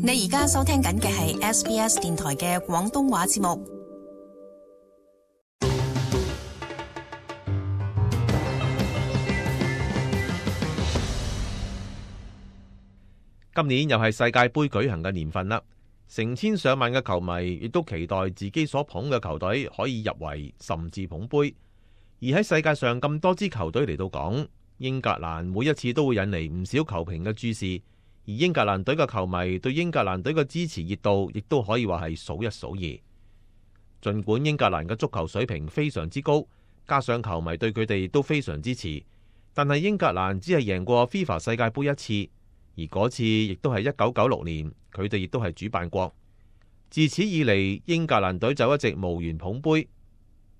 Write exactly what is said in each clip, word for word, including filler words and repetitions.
你而家收聽緊嘅係 S B S 電台嘅廣東話節目。今年又係世界盃舉行嘅年份啦，成千上萬嘅球迷亦都期待自己所捧嘅球隊可以入圍，甚至捧杯。而喺世界上咁多支球隊嚟到講，英格蘭每一次都會引嚟唔少球評嘅注視，而英格蘭隊嘅球迷對英格蘭隊嘅支持熱度亦都可以話係數一數二。儘管英格蘭嘅足球水平非常之高，加上球迷對佢哋都非常支持，但係英格蘭只係贏過 FIFA 世界盃一次。而嗰次亦都係一九九六年，佢哋亦都係主辦國。自此以嚟，英格蘭隊就一直無緣捧杯。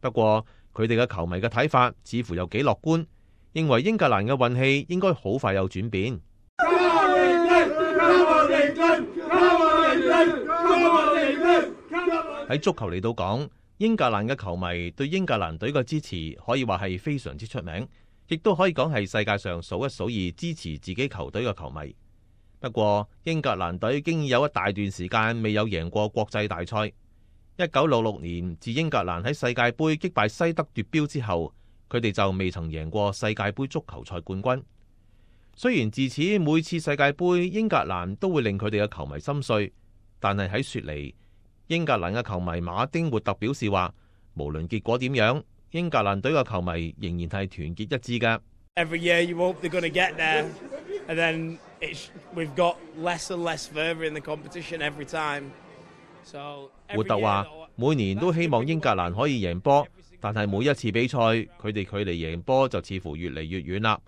不過佢哋嘅球迷嘅睇法似乎又幾樂觀，認為英格蘭嘅運氣應該好快有轉變。喺足球嚟到講，英格蘭嘅球迷對英格蘭隊嘅支持可以話係非常之出名，亦都可以講係世界上數一數二支持自己球隊嘅球迷。不過英格蘭隊經已有一大段時間未有贏過國際大賽。一九六六年自英格蘭喺世界盃擊敗西德奪標之後，佢哋就未曾贏過世界盃足球賽冠軍。雖然自此每次世界盃英格蘭都會令佢哋嘅球迷心碎，但係喺雪梨，英格蘭嘅球迷馬丁活特表示話，無論結果點樣，英格蘭隊嘅球迷仍然係團結一致嘅。Every year you hope they're going to get there, and then it's, we've got less and less further in the competition every time. So 活特話，每年都希望英格蘭可以贏波，但係每一次比賽，佢哋距離贏波就似乎越嚟越遠啦。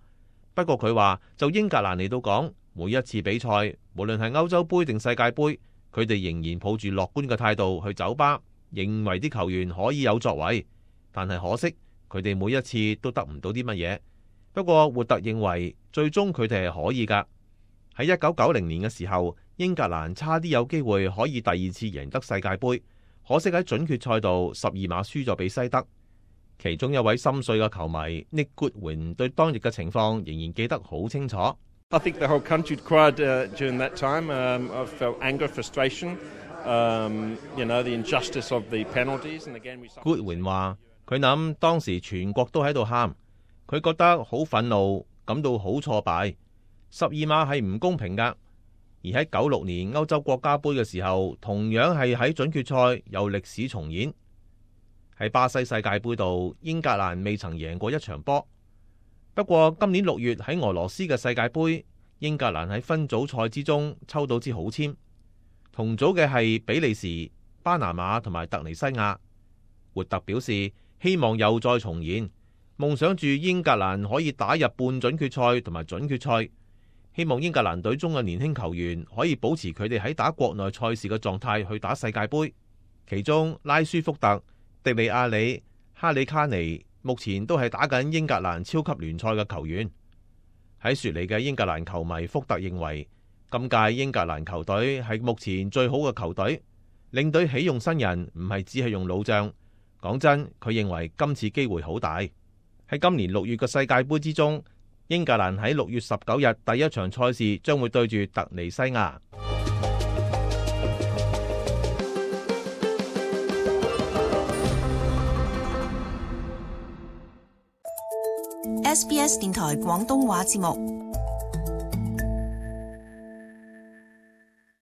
不過佢話，就英格蘭嚟到講，每一次比賽，無論係歐洲盃定世界盃，佢哋仍然抱住樂觀嘅態度去酒吧，認為啲球員可以有作為。但係可惜，佢哋每一次都得唔到啲乜嘢。不過活特認為，最終佢哋係可以㗎。喺一九九零年嘅時候，英格蘭差啲有機會可以第二次贏得世界盃，可惜喺準決賽度十二碼輸咗俾西德。其中一位心碎嘅球迷 Nick Goodwin 對當日嘅情況仍然記得好清楚。I think the whole country cried during that time. I felt anger, frustration, you know, the injustice of the penalties. And again, we. Goodwin 話：佢諗當時全國都喺度喊，佢覺得好憤怒，感到好挫敗。十二碼係唔公平㗎。而喺九六年歐洲國家杯嘅時候，同樣係喺準決賽有歷史重演。喺巴西世界盃度，英格蘭未曾贏過一場波。不過今年六月喺俄羅斯嘅世界盃，英格蘭喺分組賽之中抽到支好簽，同組嘅係比利時、巴拿馬同埋突尼西亞。活特表示希望又再重現，夢想住英格蘭可以打入半準決賽同埋準決賽。希望英格蘭隊中嘅年輕球員可以保持佢哋喺打國內賽事嘅狀態去打世界盃。其中拉舒福特、迪利亞里、哈里卡尼目前都係打緊英格蘭超級聯賽嘅球員。喺雪梨嘅英格蘭球迷福特認為，今屆英格蘭球隊係目前最好嘅球隊，領隊起用新人，唔係只係用老將。講真，佢認為今次機會好大。喺今年六月嘅世界盃之中，英格蘭喺六月十九日第一場賽事將會對住突尼西亞。S B S 電台廣東話節目，